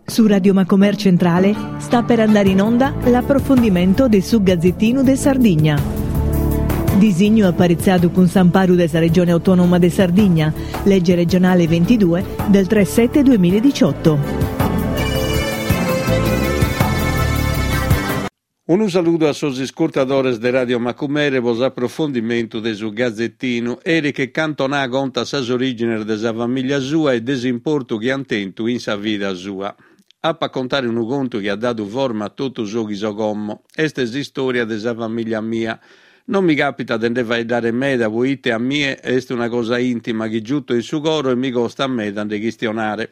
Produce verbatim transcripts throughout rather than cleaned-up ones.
Su Radio Macomer Centrale sta per andare in onda l'approfondimento de su Gazzettinu de Sardigna. Disignu aparitzadu cun s'amparu de sa Regione Autonoma de Sardigna, legge regionale ventidue del tre sette duemiladiciotto. Unu saludu a sos iscurtadores de Radio Macumere pro s'aprofondimentu de su Gazettinu. Eric Cantona contat sas orìgines de sa famìlia sua e de s'importu chi ant tentu in sa vida sua. Apo a contare unu contu chi at dadu forma a totu su chi so como. Est s'istòria de sa famìlia mia. Non mi càpitat de nde faeddare meda poite a mie est una cosa ìntima chi giuto in su coro e mi costat meda nde chistionare.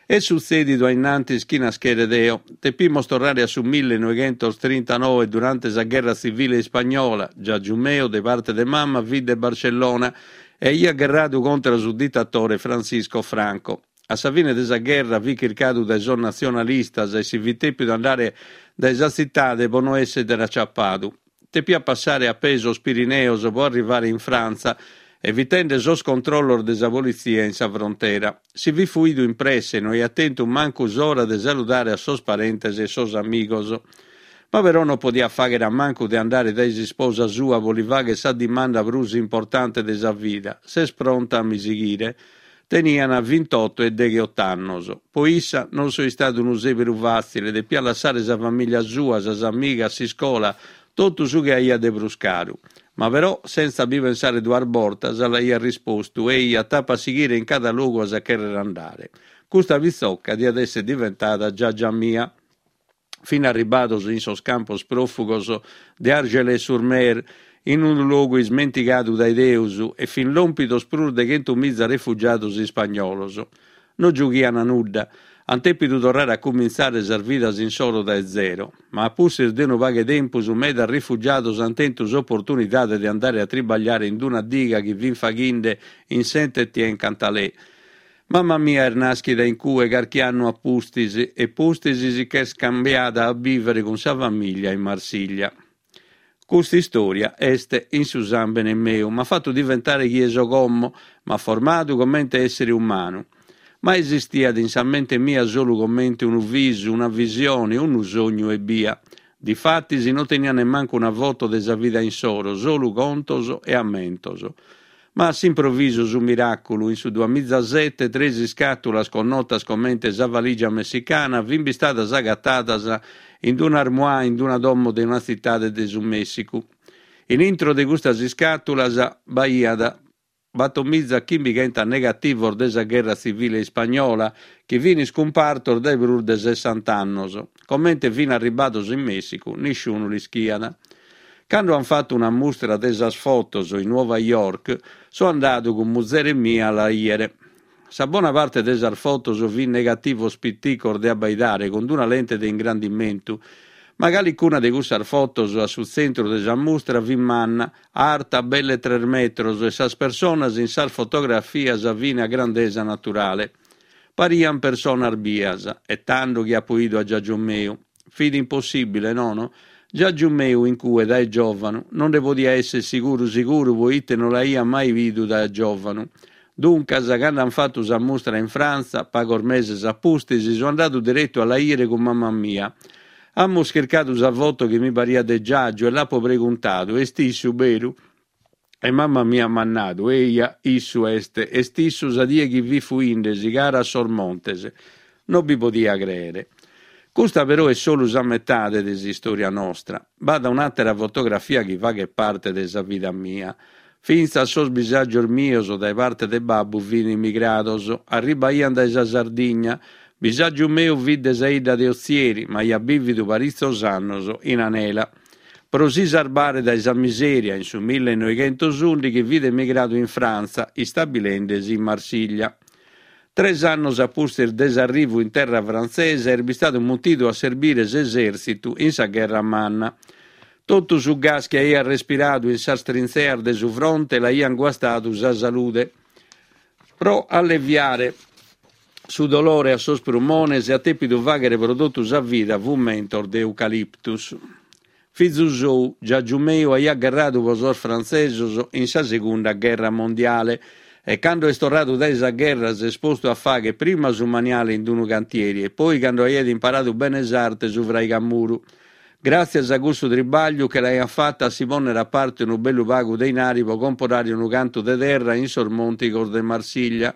Est sutzèdidu a in antis chi naschere deo. Tepimos torrare a su millennoighentos trintanoe, durante sa gherra tzivile ispagnola. Giàgiu meu, de parte de mama, fit de Barcellona e aiat gherradu contra su ditatore Francisco Franco. A sa fine de sa gherra fit chircadu dae sos natzionalistas e si fit tèpidu andare dae sa tzitade pro no èssere aciapadu. Tepiat passare a pee sos Pirineos pro arrivare in Frantza, evitende sos controllos de sa politzia in sa frontera. Si fit fuidu in presse e no aiat tentu mancu s'ora de saludare a sos parentes e sos amigos. Ma però non podiat fàghere a mancu de andare dae s'isposa sua pro li fàghere sa dimanda prus importante de sa vida, Ses pronta a mi sighire? Tenian vintotto e degheot'annos. Po issa non so istadu unu sèberu fàtzile, depiat lassare sa famìlia sua, sas amigas, s'iscola, totu su chi aiat de prus caru. Ma però, sentza bi pensare duas bortas, l'aiat rispostu, Eja, t'apo a sighire in cada logu as a chèrrere andare. Custa pitzocca diat èssere diventada giagia mia. Fin arribados in sos campos pròfugos de Argelès-sur-Mer, in unu logu ismentigadu dae Deus, e fin lòmpidos prus de chentu miza refugiados ispagnolos. No giughian nudda. Ant tèpidu torrare a cumintzare sas vidas insoro dae zero. Ma a pustis de unu pagu 'e tempus medas rifugiados ant tentu s'oportunidade de andare a tribagliare in una diga chi fin faghinde in Saint-Étienne-Cantalais. Mama mia est nàschida in cue carchi annu a pustis e pustis si ch'est cambiada a bìvere cun sa famìlia in Marsiglia. Custa istòria est in su sàmbene meu, m'at fatu diventare chie so como, m'at formadu comente èssere umanu. Ma esistiat in sa mente mia solu comente unu visu, una visione, unu sognu ebbia. Difatis non tenia nemmancu una foto de sa vida insoro, solu contos e ammentos. Ma a s'improvisu su miràculu, in su duamizasete tres iscàtulas connotas comente sa valigia messicana fin bistadas agatadas in una armoire in una domo de una tzitade de su Mèssicu. In intro de custas iscàtulas b'aiat batomiza chimbighentas negativos de sa gherra tzivile ispagnola chi fin iscumpartos dae prus de sessant'annos. Comente fin arribados in Mèssicu nisciunu l'ischiat. Cando an fatu una mustra de sas fotos in Nuova York, so andadu cun muzere mia a la 'ìere. Sa bona parte de sas fotos fin negativos piticos de abbaidare cun una lente de ingrandimentu, ma calicuna de cussas fotos a su tzentru de sa mustra fit manna, arta belle tres metros e sas personas in sas fotografias fin a grandesa naturale. Parian personas bias, e tando chi apo 'idu a giagiu meu. Fit impossìbile, nono? Giagiu meu in cue dae giòvanu, non nde podia èssere siguru siguru poite non l'aia mai bidu dae giòvanu. Duncas, cando an fatu sa mustra in Frantza, pagos meses a pustis, so andadu deretu a la 'ìere cun mama mia. Amus chircadu sa foto chi mi pariat de giagiu e l'apo preguntadu, Est issu, beru? E mama mia m'at nadu, Eja, issu est, est issu sa die chi fit fuindesi cara a sos montes. No bi podia crèere. Custa però est solu sa metade de s'istòria nostra. B'at un'àtera fotografia chi faghet parte de sa vida mia. Fintzas sos bisàgios mios dae parte de babbu fin emigrados, arribaian dae sa Sardigna. Bisàgiu meu fit de sa 'idda de Otzieri, ma aiat bìvidu paritzos annos in Anela. Pro si sarbare dae sa misèria, in su millenoighentos ùndighi fit emigradu in Frantza, istabilende·si in Marsiglia. Tres annos a pustis de s'arrivu in terra frantzesa est bistadu mutidu a serbire s'esèrtzitu in sa Gherra Manna. Totu su gas chi aiat respiradu in sas trintzeas de su fronte l'aian guastadu sa salude. Pro alleviare su dolore a sos prumones at tèpidu fàghere pro totu sa vida fumentos de eucaliptus. Fizu sou, giagiu meu, aiat gherradu pro sos frantzesos in sa Segunda Gherra Mondiale E cando est torradu dae sa gherra s'est postu a fàghere prima su maniale in unu cantieri e poi cando aiat imparadu bene s'arte su fraigamuru. Gràtzias a cussu tribagliu che l'aiat fata a si pònnere a parte unu bellu pagu de inari pro comporare unu cantu de terra in sos montigos de Marsiglia.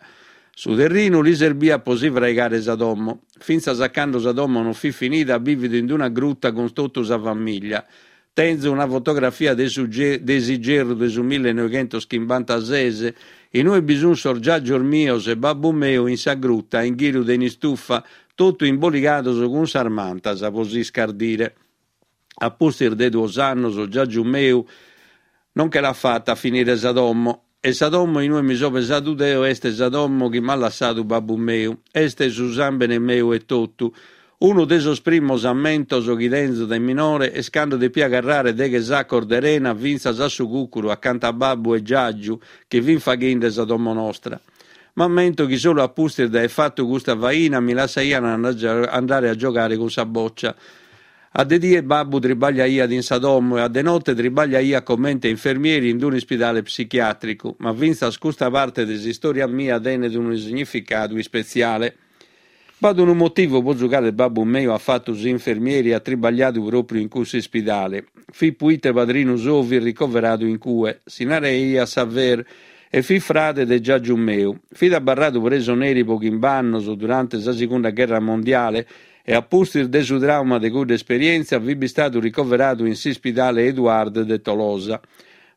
Su terrinu li serbiat pro si fraigare sa domo. Fintzas a cando sa domo non fit finida at bìvidu in una gruta cun totu sa famìllia. Tenzo una fotografia de su de s'igerru de su millenoighentos chimbantases, in ue bi sunt sos giàgios mios e babbu meu in sa gruta in ghiru de un'istufa, totu imboligados cun sas mantas pro s'iscardire. A pustis de duos annos giàgiu meu non che l'at fata a finire sa domo. E sa domo in ue mi so pesadu deo est sa domo chi m'at lassadu babbu meu. Est su sàmbene meu etotu. Unu de sos primos ammentos chi tenzo de minore est cando depia carrare deghe sacos de rena fintzas a su cùcuru acanta a babbu e giàgiu chi fin faghende sa domo nostra. M'ammento chi solu a pustis de aer fatu custa faina mi lassaian andare a giogare cun sa bòcia. A de die babbu tribagliaiat in sa domo e a de note tribagliaiat comente infermieri in un'ispidale psichiàtricu, ma fintzas custa parte de s'istòria mia tenet unu significadu ispetziale. B'at unu motivu pro su cale babbu meu at fatu s'infermieri e at tribagliadu pròpriu in cussu ispidale. Fit puite padrinu sou fit ricoveradu in cue, si naraiat Saver e fit frade de giàgiu meu. Fit abarradu presoneri pro chimb'annos durante sa Segunda Gherra Mondiale e a pustis de su tràuma de cudda esperièntzia fit bistadu ricoveradu in s'ispidale Eduard de Tolosa.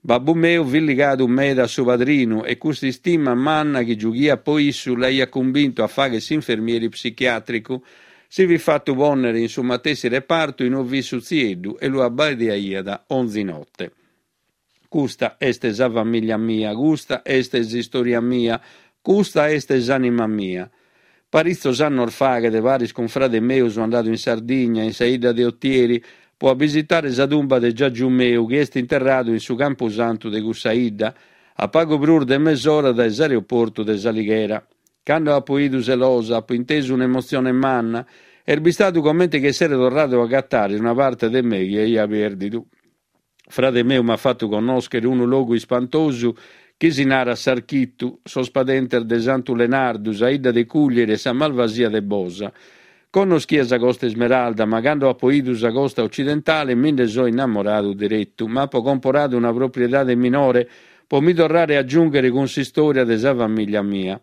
Babbu meu fit ligadu meda a su padrinu e custa istima manna chi giughiat pro issu l'aiat cumbintu a fàghere s'infermieri psichiàtricu. Si fit fatu pònnere in su matessi repartu in ue fit su tzieddu e lu abbaiaiat onzi note. Custa est sa famìllia mia, custa est s'istòria mia, custa est s'ànima mia. Paritzos annos faghet, paris cun frade meu so andadu in Sardigna, in sa 'idda de Otieri, pro a bisitare sa tumba de giàgiu meu chi est interradu in su campusantu de cussa 'idda, a pagu prus de mesora dae s'aeroportu de S'Alighera. Cando apo 'idu sa losa, apo intesu un'emotzione manna, est bistadu comente chi essere torradu a agatare una parte de me chi aia pèrdidu. Frade meu m'at fatu connòschere unu logu ispantosu chi si narat S'Architu, sos padentes de Santu Lenardu, sa 'idda de Cuglieri e sa Malvasia de Bosa. Connoschia sa Costa Ismeralda, ma cando apo 'idu sa costa occidentale mi nde so innamoradu deretu. M'apo comporadu una propriedade minore pro mi torrare a giùnghere cun s'istòria de sa famìllia mia.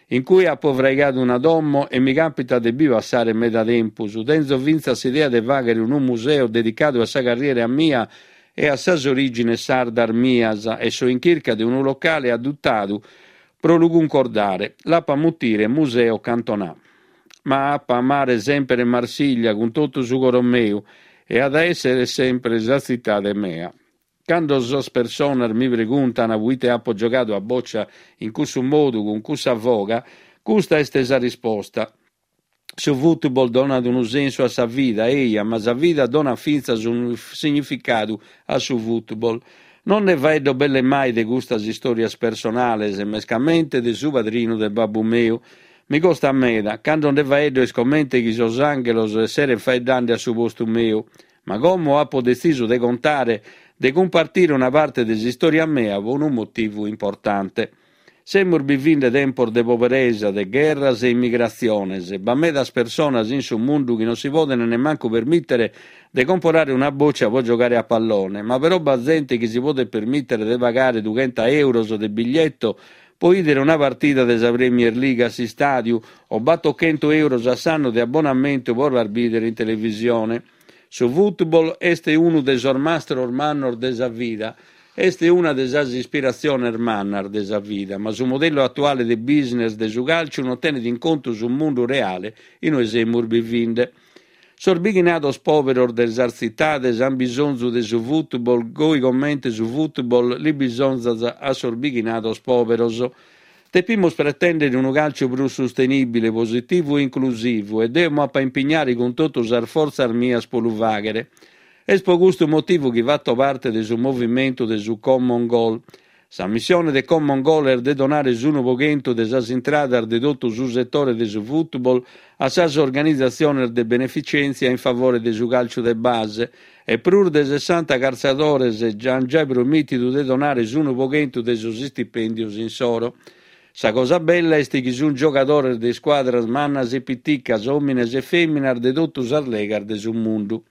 In cue apo fraigadu una domo e mi càpitat de bi passare meda tempus. Tenzo fintzas s'idea de fàghere unu museu dedicadu a sa carriera mia e a sas orìgines sardas mias e so in chirca de unu locale adatadu pro lu cuncordare. L'apo a mutire Museo Cantona. Ma apo a amare semper Marsiglia cun totu su coro meu e at a èssere semper sa tzitade mea. Cando sas personas mi preguntan puite apo giogadu a bòcia in cussu modu, cun cussa foga, custa est sa risposta. Su football donat unu sensu a sa vida, eia, ma sa vida donat fintzas unu significadu a su football. Non nde faeddo belle mai de custas istòrias personales, mescamente de su padrinu de babbu meu. Mi costat meda, cando nde faeddo est comente chi sos ànghelos esserent faeddende a su postu meu. Ma como apo detzisu de contare, de cumpartire una parte de s'istòria mea pro unu motivu importante. Semus bivende tempos de poberesa, de gherras e immigratziones. B'at medas personas in su mundu chi non si podent nemmancu permìtere de comporare una bòcia pro giogare a pallone, ma però b'at zente chi si podet permìtere de pagare dughenta euros de biglietto pro 'ìdere una partida de sa Premier League a s'istàdiu o battochento euros a s'annu de abbonamentu pro las bìdere in televisione. Su football est unu de sos mastros mannos de sa vida. Est una de sas ispiratziones mannas de sa vida, ma su modellu atuale de business de su càlciu non tenet in contu su mundu reale in ue semus bivende. Sos bighinados pòberos de sas tzitades ant bisonzu de su football goi comente su football li bisonzat a sos bighinados pòberos. Depimus pretèndere unu càlciu prus sustenìbile, positivu e inclusivu e deo m'apo a impignare cun totu sas fortzas mias pro lu fàghere. Est pro custu motivu chi fato parte de su movimentu de su Common Goal. Sa missione de Common Goal est de donare s'unu pro chentu de sas intradas de totu su setore de su football a sas organizatziones de beneficèntzia in favore de su càlciu de base e prus de sessanta cartzadores ant giai promìtidu de donare s'unu pro chentu de sos istipèndios insoro. Sa cosa bella est chi sunt giogadores de iscuadras mannas e piticas, òmines e fèminas de totu sas legas de su mundu.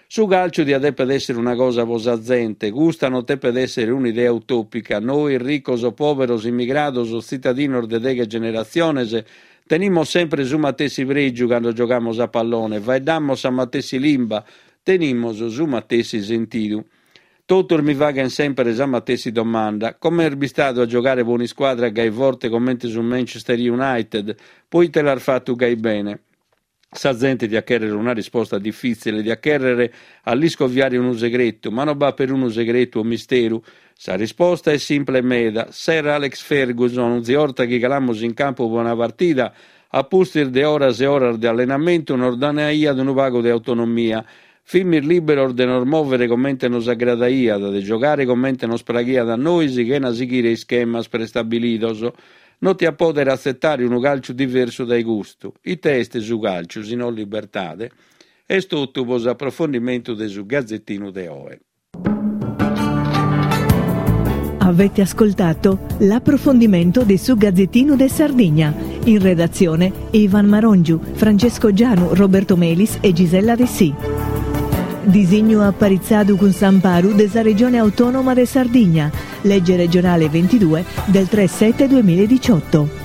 Su càlciu diat dèpere èssere una cosa pro sa zente, custa non depet èssere un'idea utòpica. Nois, ricos o pòberos, immigrados o tzitadinos de deghe generatziones, tenimus semper su matessi prègiu cando giogamus a pallone, faeddamus sa matessi limba, tenimus su matessi sentidu. Totus mi faghent semper sa matessi domanda, comente est bistadu a giogare pro un'iscuadra gai forte comente su Manchester United, pro ite l'as fatu gai bene? Sa zente diat chèrrere una risposta difìtzile, diat chèrrere a l'iscoviare unu segretu, ma non b'at perunu segretu o misteru. Sa risposta est simple meda. Sir Alex Ferguson, onzi 'orta chi calamus in campu pro una partida, a pustis de oras e oras de allenamentu nos donaiat unu pagu de autonomia. Fimis lìberos de nos mòvere comente nos agradaiat, de giogare comente nos praghiat a nois chena sighire ischemas prestabilidos. Non tia pòdere atzetare unu càlciu diversu dae custu. Ite est su càlciu, si no libertade? Est totu pro s'aprofondimentu de su Gazettinu de oe. Avete ascoltato l'approfondimento di su Gazzettino de Sardigna. In redazione Ivan Marongiu, Francesco Gianu, Roberto Melis e Gisella Dessì. Disignu aparitzadu cun s'amparu de sa Regione Autonoma de Sardigna, legge regionale ventidue del tre sette duemiladiciotto.